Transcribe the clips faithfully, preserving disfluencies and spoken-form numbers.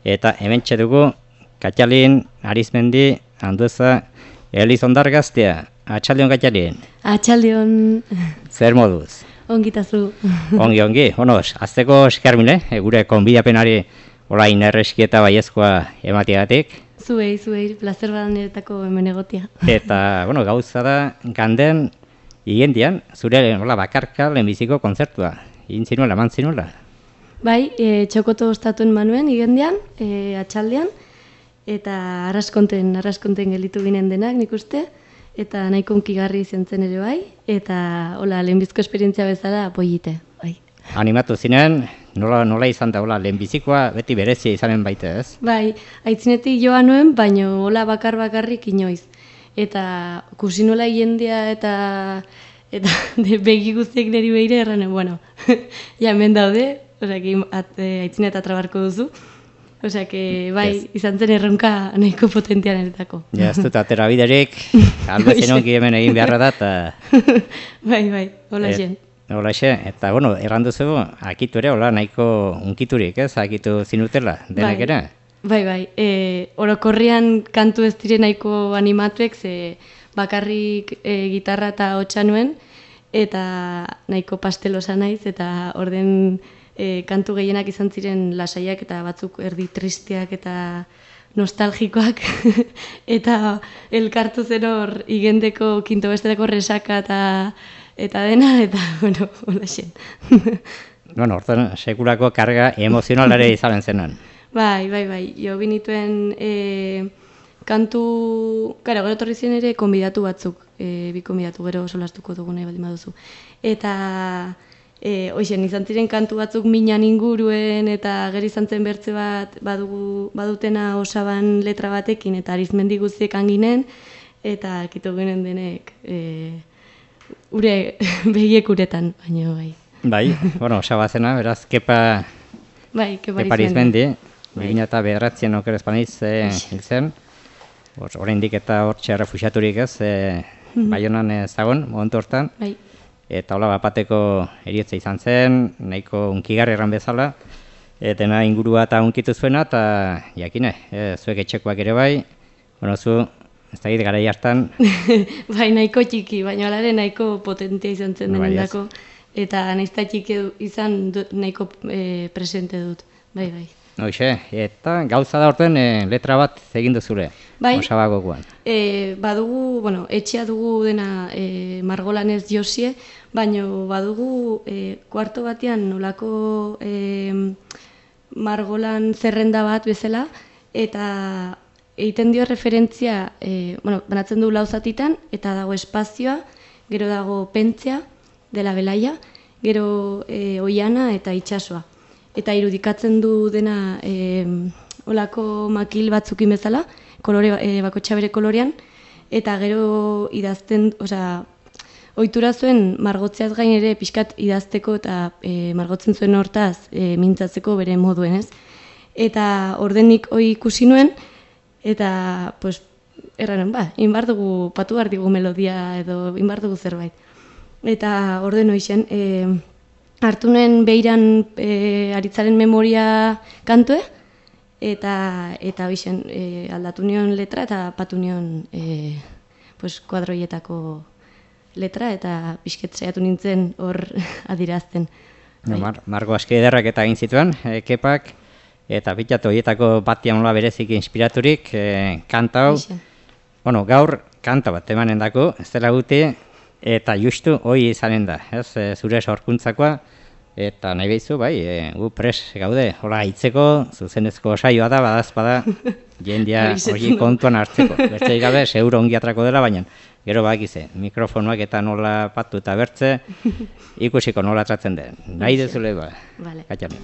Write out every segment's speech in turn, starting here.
eta hementxe dugu Katxalin Arizmendi Andueza Elizondar gaztea. Atxaldion Katxalin. Atxaldion. Zer moduz? Ongitazu. Ongi, ongi. Bueno, azteko eskermile, gure konbidapenari olain erreskieta baiezkoa ematiagatik. Zuei, zuei, plazer badan niretako hemen egotia. Eta, bueno, gauza da, ganden, igendian, zure hola, bakarka lehenbiziko kontzertua. Egin zinuela, eman zinuela. Bai, e, txokoto ostatuen manuen, igendian, e, atxaldean, eta arraskonten, arraskonten gelitu ginen denak, nik uste, eta nahiko unkigarri zentzen ere bai, eta hola, lehenbizko esperientzia bezala pollite, bai. Animatu zinen, nola, nola izan da, hola, lehenbizikoa beti berezia izanen baite, ez? Bai, aitzinetik joa nuen, baino hola bakar bakarrik inoiz. Eta kusi nola jendea eta eta de, begi guztiek niri behire erranen, bueno, ja hemen daude, osea, aitzinet atrabarko duzu. Osea, que bai, yes. Izan zen erronka nahiko potentian eretako. Ja, ez dut atera biderik, albezen ongi hemen egin beharra da, eta... bai, bai, hola jen. Hola xe, eta, bueno, errandu zego, akitu ere, hola, nahiko unkiturik, ez, akitu zinutela, denek ere? Bai, bai, e, orokorrian kantu ez dire nahiko animatuek, ze bakarrik e, gitarra eta hotxa nuen, eta nahiko pastelosa naiz, eta orden... E, kantu gehienak izan ziren lasaiak eta batzuk erdi tristeak eta nostalgikoak eta elkartu zen hor igendeko kinto bestetako resaka eta eta dena, eta, bueno, hola xen. Bueno, orten, sekulako karga emozionalare izanen zenan. Bai, bai, bai, jo binituen e, kantu, gara, gero torri ziren ere konbidatu batzuk, e, bi konbidatu, gero solastuko dugune baldin baduzu. Eta... E, Hoxen, izan ziren kantu batzuk minan inguruen eta gero izan zen bertze bat badugu, badutena osaban letra batekin eta Arizmendi guztiek anginen eta kitu ginen denek e, ure begiek uretan, baina bai. Bai, bueno, osaba zena, beraz, kepa, bai, kepa Arizmendi, bigina eta bederatzen oker espaniz e, hil zen, oraindik eta hortxe refusiaturik ez, e, Baionan ez dagoen, momentu hortan. Bai. Eta hola bapateko eriotza izan zen, nahiko unkigarri erran bezala, eta ingurua eta unkitu zuena, eta jakine, e, zuek etxekoak ere bai, bueno, zu, ez da gara hartan. Bai, nahiko txiki, baina alare nahiko potentia izan zen no, denendako, eta naizta txiki izan dut, nahiko e, presente dut, bai, bai. Hoxe, eta gauza da horten e, letra bat egin duzure, bai, osabagokoan. E, badugu, bueno, etxea dugu dena e, margolanez josie, baina badugu e, kuarto batean nolako e, margolan zerrenda bat bezala, eta egiten dio referentzia, e, bueno, banatzen du lauzatitan, eta dago espazioa, gero dago pentzea, dela belaia, gero e, oiana eta itsasoa. Eta irudikatzen du dena e, olako makil batzukin bezala, kolore, e, bakotxa bere kolorean, eta gero idazten, osea, ohitura zuen margotzeaz gain ere pixkat idazteko eta e, margotzen zuen hortaz e, mintzatzeko bere moduen, ez? Eta ordenik hori ikusi nuen, eta, pues, erraren, ba, inbar dugu, patu behar digu melodia edo inbar dugu zerbait. Eta orden hoixen, e, hartu nuen behiran e, aritzaren memoria kantue, eta eta bixen, e, aldatu nion letra eta patu nion e, pues, kuadroietako letra eta pixket saiatu nintzen hor adirazten. No, mar, Margo aski ederrak eta egin zituen, e, kepak, eta bitatu horietako batian nola berezik inspiraturik, e, kanta hau. Bueno, gaur kanta bat emanen dako, ez dela guti, eta justu hoi izanen da, ez, e, zure sorkuntzakoa, eta nahi behizu, bai, e, gu pres gaude, hola, hitzeko, zuzenezko saioa da, badaz, bada, jendia hori kontuan hartzeko. Bertzeik gabe, seguro ongi atrako dela, baina gero bakize, mikrofonoak eta nola patu eta bertze, ikusiko nola tratzen den. Nahi dezule, ba, vale. Katxalin.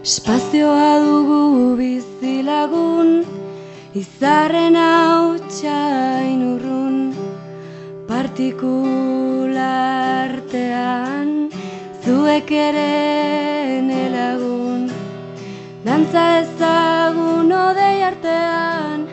Espazioa dugu bizilagun, izarren hautsain urrun, partikulartean, zuek ere nelagun, dantza ezagun odei artean,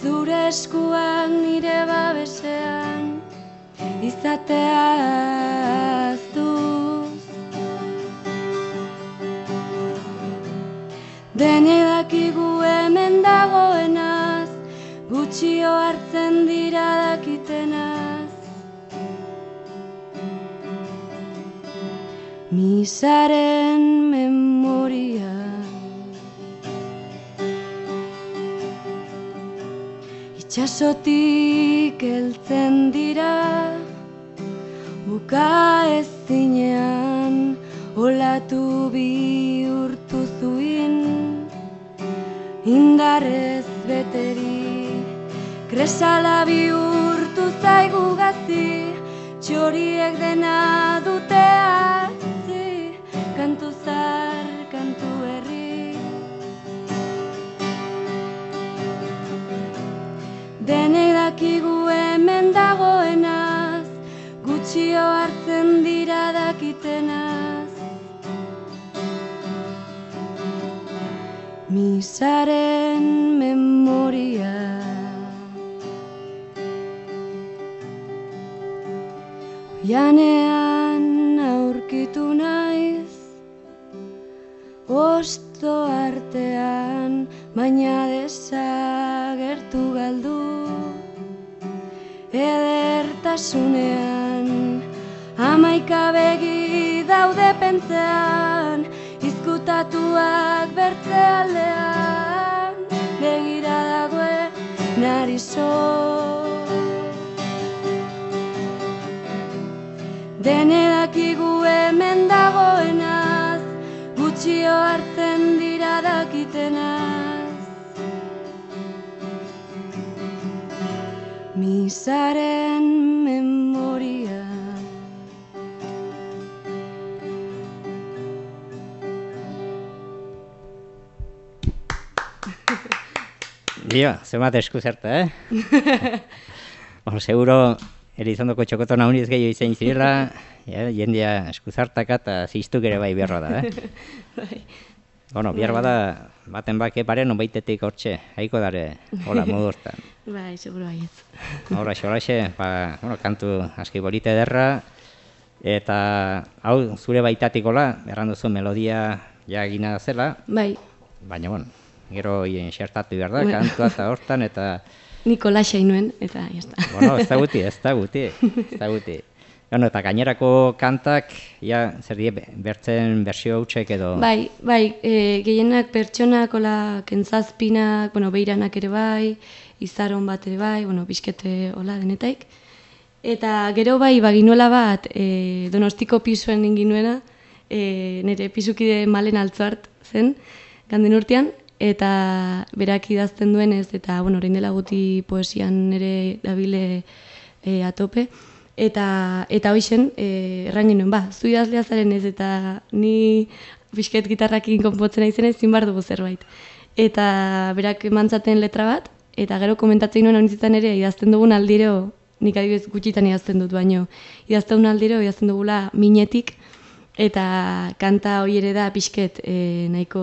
zure eskuak nire babesean, izateaz duz. Denek dakigu hemen dagoenaz, gutxio hartzen dira dakitenaz. Misaren memoria itxasotik heltzen dira, buka ezinean olatu bihurtu zuin, indarrez beteri, kresala bihurtu zaigu gazi, txoriek dena dute atzi, kantu zar, kantu herri. Denek dakigu hemen dagoenaz, gutxio hartzen dira dakitenaz. Misaren memoria oianean aurkitu naiz, osto artean, baina desagertu galdu. Edertasunean, hamaika begi daude pentzean, izkutatuak bertze aldean, begira dagoen narizo. Dene dakigu hemen dagoenaz, gutxio hartzen dira dakitenaz. Misaren memoria Dio, zemat esku zerta, eh? Bueno, seguro Elizondoko txokoton hauniz gehiago izan zirela, jendea esku zartaka eta ziztuk ere bai beharra da, eh? Bueno, behar bada, baten bake pare, non baitetik hortxe, haiko dare, hola, modu hortan. Bai, seguro baiet. Horaxe, horaxe, ba, bueno, kantu aski bolite ederra, eta hau zure baitatikola, erran duzu melodia jagina zela. Bai. Baina, bueno, gero xertatu behar da, kantua eta hortan, eta... Niko lasai nuen, eta jazta. Bueno, ez da guti, ez da guti, ez da guti. Bueno, eta gainerako kantak, ja, zer die, bertzen bersio hautsek edo... Bai, bai, e, gehienak pertsonak, hola, kentzazpinak, bueno, beiranak ere bai, izaron bat ere bai, bueno, bizkete hola denetaik. Eta gero bai, baginuela bat, e, Donostiko pisuen inginuena, e, nire pisukide Malen Altzuart zen, ganden urtean, eta berak idazten duenez, eta, bueno, orain dela guti poesian ere dabile e, atope, eta eta hoixen, e, erran genuen, ba, zu idazlea zaren ez, eta ni pixket gitarrakin konpotzen aizen ez, zin bar dugu zerbait. Eta berak mantzaten letra bat, eta gero komentatzen nuen honitzetan ere, idazten dugun aldiro, nik adibidez gutxitan idazten dut, baino, idazten dugun aldiro, idazten dugula minetik, eta kanta hori ere da pixket e, nahiko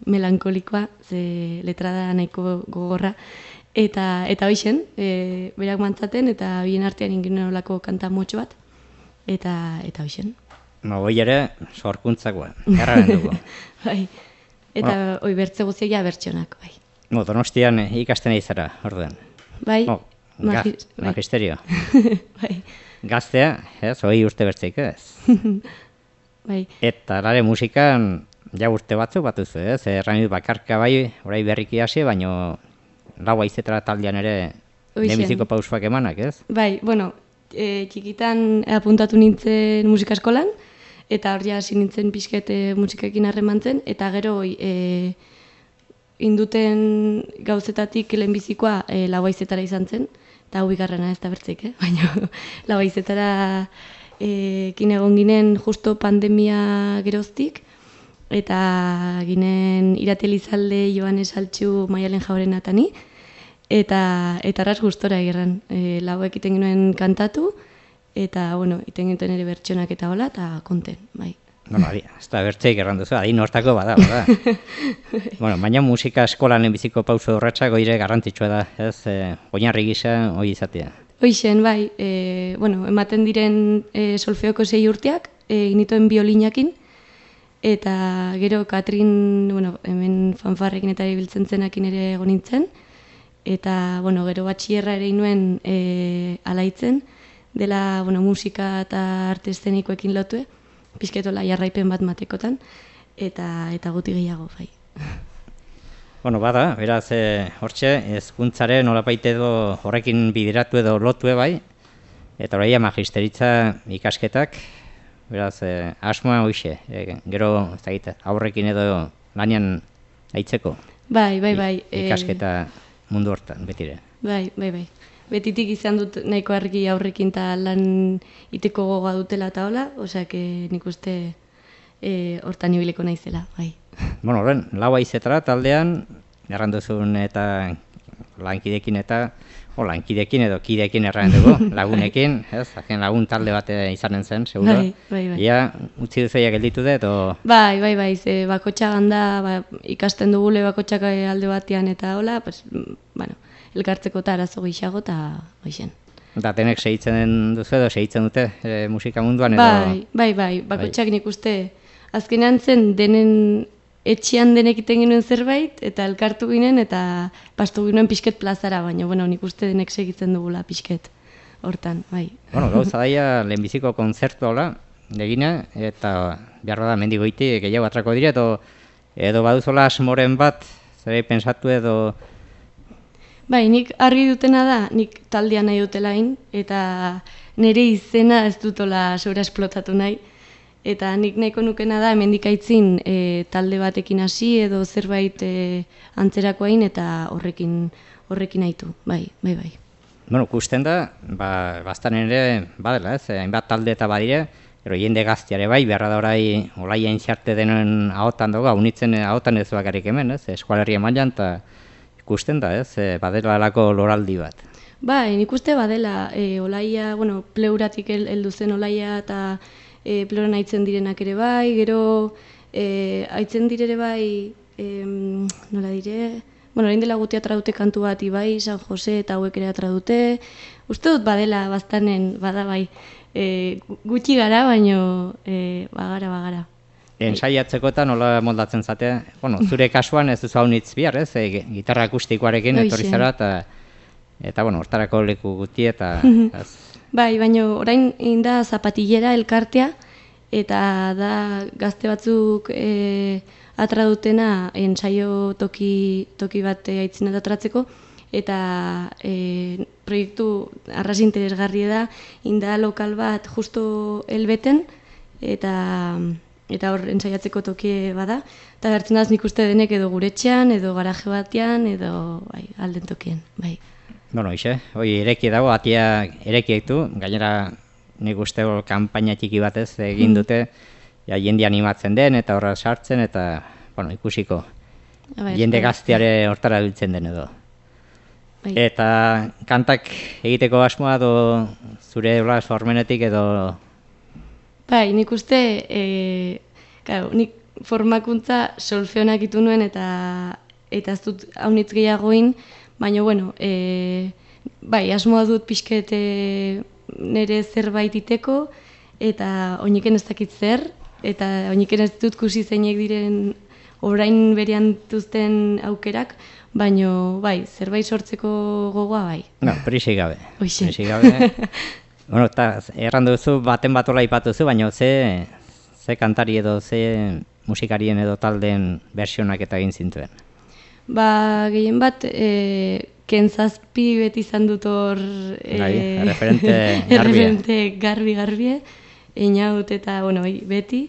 melankolikoa, ze letra da nahiko gogorra, eta eta hoixen, e, berak mantzaten, eta bien artean inginen olako kanta motxo bat, eta eta hoixen. Ma hoi ere, sorkuntzakoa, erraren dugu. Bai, eta bueno, hoi bertze guztiak ja bertxonak, bai. No, Donostian ikasten izara, orduan. Bai, no, magi, ga, bai. Magisterio. Bai. Gaztea, ez, hoi urte bertzeik ez. Bai. Eta lare musikan, ja urte batzu batuzu, ez? Erran bakarka bai, orai berriki hasi, baino lau aizetara taldean ere demiziko pausuak emanak, ez? Bai, bueno, e, txikitan apuntatu nintzen musika eskolan, eta hor ja hasi nintzen pixkete musikekin harremantzen, eta gero e, induten gauzetatik lehenbizikoa e, lau aizetara izan zen, eta hau bigarrena ez da bertzeik, eh? Baina lau aizetara ekin egon ginen justo pandemia geroztik, eta ginen Iratelizalde, Joanes Altxu, Maialen Jauren atani, eta eta arras gustora egerran. E, lauek iten ginen kantatu, eta, bueno, iten ginen ere bertxonak eta hola, eta konten, bai. Bueno, adi, ez da bertzeik erran duzu, adin hortako bada, bada. Bueno, baina musika eskolan biziko pauso horretzak oire garrantzitsua da, ez, e, oinarri gisa hori izatea. Hoixen, bai, e, bueno, ematen diren e, solfeoko sei urteak, egin nituen biolinakin, eta gero Katrin, bueno, hemen fanfarrekin eta ibiltzen zenakin ere egon nintzen, eta, bueno, gero batxierra ere inuen e, alaitzen, dela, bueno, musika eta arte eszenikoekin lotue, pizketola jarraipen bat matekotan, eta eta guti gehiago, bai. Bueno, bada, beraz, e, hortxe, hezkuntzaren nolabait edo horrekin bideratu edo lotue bai, eta oraia magisteritza ikasketak, beraz, e, asmoa hoixe, e, gero, ez dakit, aurrekin edo lanian aitzeko. Bai, bai, bai. Ikasketa mundu hortan, betire. Bai, bai, bai. Betitik izan dut nahiko argi aurrekin eta lan iteko gogoa dutela eta hola, osea, nik uste hortan ibiliko naizela, bai. Bueno, horren, lau aizetara taldean, erranduzun eta lankidekin eta, o lankidekin edo kidekin erran dugu, lagunekin, ez, azken lagun talde bat izanen zen, seguro. Bai, bai, bai. Ia, utzi duzoia gelditu dut, o... Bai, bai, bai, ze bakotxa ganda, ba, ikasten dugule bakotxak alde batean eta hola, pues, bueno, elkartzeko eta arazo gixago eta goixen. Eta tenek segitzen duzu edo segitzen dute e, musika munduan edo... Bai, bai, bai, bakotxak nik uste, azkenean zen denen etxean denek iten ginen zerbait, eta elkartu ginen, eta pastu ginen pixket plazara, baina, bueno, nik uste denek segitzen dugula pixket hortan, bai. Bueno, gauza daia lehenbiziko kontzertu hola, egina, eta behar da mendigoiti gehiago atrako dire, edo, edo baduzola asmoren bat, zer pensatu edo... Bai, nik argi dutena da, nik taldea nahi dutelain, eta nire izena ez dutola sobra esplotatu nahi, eta nik nahiko nukena da hemendik aitzin e, talde batekin hasi edo zerbait e, antzerakoain eta horrekin horrekin aitu, bai, bai, bai. Bueno, kusten da, ba, bastan ere, badela ez, hainbat talde eta badire, ero jende gaztiare bai, beharra da orai olaia intxarte denen ahotan dugu, unitzen ahotan ez bakarrik hemen, ez, eskualerria mailan, eta ikusten da, ez, badela alako loraldi bat. Bai, nik uste badela, e, olaia, bueno, pleuratik heldu zen olaia eta e, pleuran aitzen direnak ere bai, gero e, aitzen direre bai, e, nola dire, bueno, orain dela guti atradute kantu bat ibai, San Jose eta hauek ere atradute, uste dut badela baztanen, bada bai, e, gutxi gara, baino e, bagara, bagara. Ensaiatzeko eta nola moldatzen zatea, bueno, zure kasuan ez duzu hau nitz bihar, ez, e, gitarra akustikoarekin etorri zara, eta, eta bueno, hortarako leku guti eta... ez. Bai, baina orain inda zapatillera elkartea, eta da gazte batzuk e, atradutena ensaio toki, toki bat aitzin eta atratzeko, eta e, proiektu arras interesgarri da, inda lokal bat justo helbeten, eta... eta hor ensaiatzeko toki bada, eta gertzen daz nik uste denek edo guretxean, edo garaje batean, edo bai, alden tokien, bai. Bueno, ixe, hoi ireki dago, atia erekiek du, gainera nik uste hor kanpaina txiki batez egin dute, ja, jende animatzen den, eta horra sartzen, eta, bueno, ikusiko, bai, jende gazteare hortara biltzen den edo. Bai. Eta kantak egiteko asmoa edo zure hola sormenetik edo... Bai, nik uste, e, claro, nik formakuntza solfeonak itu nuen eta eta ez dut haunitz gehiagoin, baina, bueno, e, bai, asmoa dut pixket e, nire zerbait iteko, eta oiniken ez dakit zer, eta oiniken ez dut kusi zeinek diren orain berean duzten aukerak, baina, bai, zerbait sortzeko gogoa, bai. No, prisik gabe. Hoxe. Prisik gabe. Bueno, eta erran duzu, baten bat hola ipatuzu, baina ze, ze kantari edo, ze musikarien edo taldeen versionak eta egin zintuen? Ba, gehien bat, e, kentzazpi beti izan dut hor... E, Gai, referente garbie. Referente garbi-garbie, einaut eta, bueno, beti.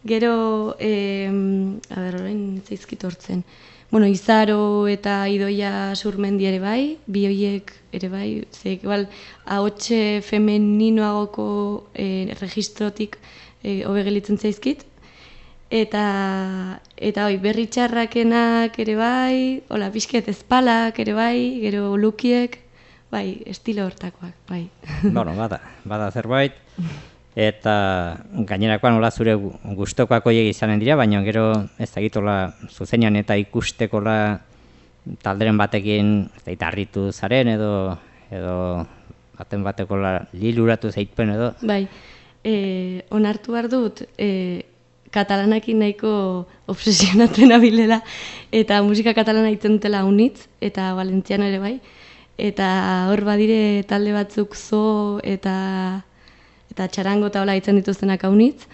Gero, e, a ber, orain zaizkit hortzen. Bueno, Izaro eta Idoia Surmendi ere bai, bi horiek ere bai, ze, igual, ahotxe femeninoagoko e, registrotik e, hobe gelitzen zaizkit. Eta, eta oi, berri txarrakenak ere bai, hola, pixket ezpalak ere bai, gero lukiek, bai, estilo hortakoak, bai. Bueno, bada, bada zerbait. Eta gainerakoan hola zure gustokoak horiek izanen dira, baina gero ez dakitola zuzenean eta ikustekola talderen batekin ez harritu zaren edo edo baten bateko liluratu zaitpen edo. Bai, e, onartu behar dut, e, katalanakin nahiko obsesionatzen abilela, eta musika katalana itzen dutela unitz, eta valentziano ere bai, eta hor badire talde batzuk zo eta eta txarango eta hola itzen dituztenak haunitz.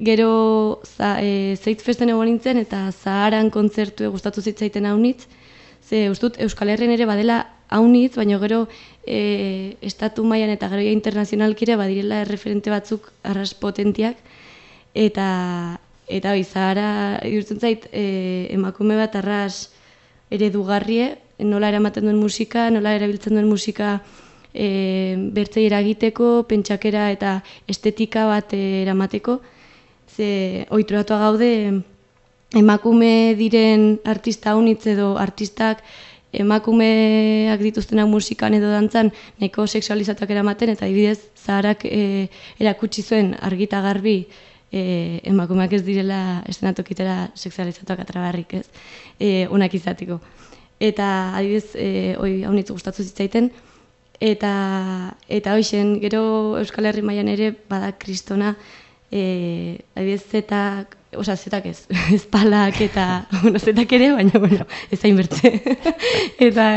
Gero za, e, zeitz festen egon nintzen eta Zaharan kontzertu gustatu zitzaiten haunitz, ze ustut Euskal Herrian ere badela haunitz, baina gero e, estatu mailan eta gero internazionalkire badirela erreferente batzuk arras potentiak, eta eta bai, Zahara irutzen zait e, emakume bat arras eredugarrie, nola eramaten duen musika, nola erabiltzen duen musika e, bertzei eragiteko, pentsakera eta estetika bat eramateko, ze ohituratuak gaude emakume diren artista haunitz edo artistak emakumeak dituztenak musikan edo dantzan nahiko sexualizatuak eramaten, eta adibidez Zaharak e, erakutsi zuen argita garbi e, emakumeak ez direla estenatokitera sexualizatuak atrabarrik, ez, e, onak izateko. Eta adibidez e, hoi haunitz gustatu zitzaiten, eta eta hoixen gero Euskal Herri mailan ere bada kristona, e, adibidez zetak, oza, zetak ez, ezpalak eta, bueno, zetak ere, baina, bueno, ez hain bertze, eta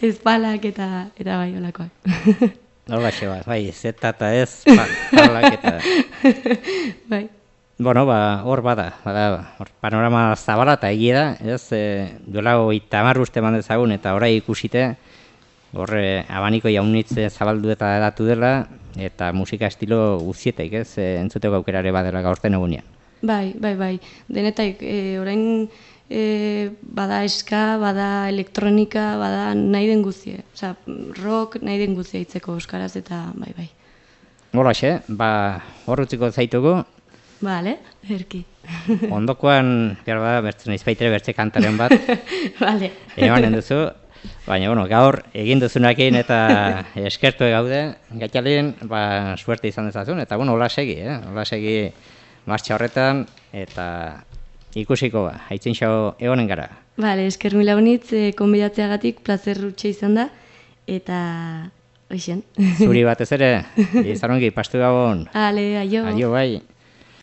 ezpalak eta, eta bai, olakoak. Hola, xeba, bai, zeta eta ez, palak eta... Bai. Bueno, ba, hor bada, bada, hor panorama zabala eta egia da, ez, e, duela hogeita hamar urte eman dezagun eta orai ikusite, horre abaniko jaunitze zabaldu eta edatu dela, eta musika estilo guztietek, ez, e, entzuteko aukerare badela gaurten egunean. Bai, bai, bai, denetaik, e, orain e, bada eska, bada elektronika, bada nahi den guzie, oza, rock nahi den guzie hitzeko euskaraz eta bai, bai. Holaxe, ba, hor utziko zaitugu. Bale, erki. Ondokoan, behar bada, bertzen izbaitere bertze kantaren bat. Bale. Emanen duzu, baina, bueno, gaur egin duzunakin eta eskertu gaude, gaitalen, ba, suerte izan dezazun, eta, bueno, hola segi, eh? Hola segi martxa horretan, eta ikusiko, ba, haitzin xau egonen gara. Bale, esker mila honitz, e, konbidatzeagatik, plazer rutxe izan da, eta hoixen. Zuri batez ere, izan ongi, pastu gabon. Ale, aio. Aio, bai.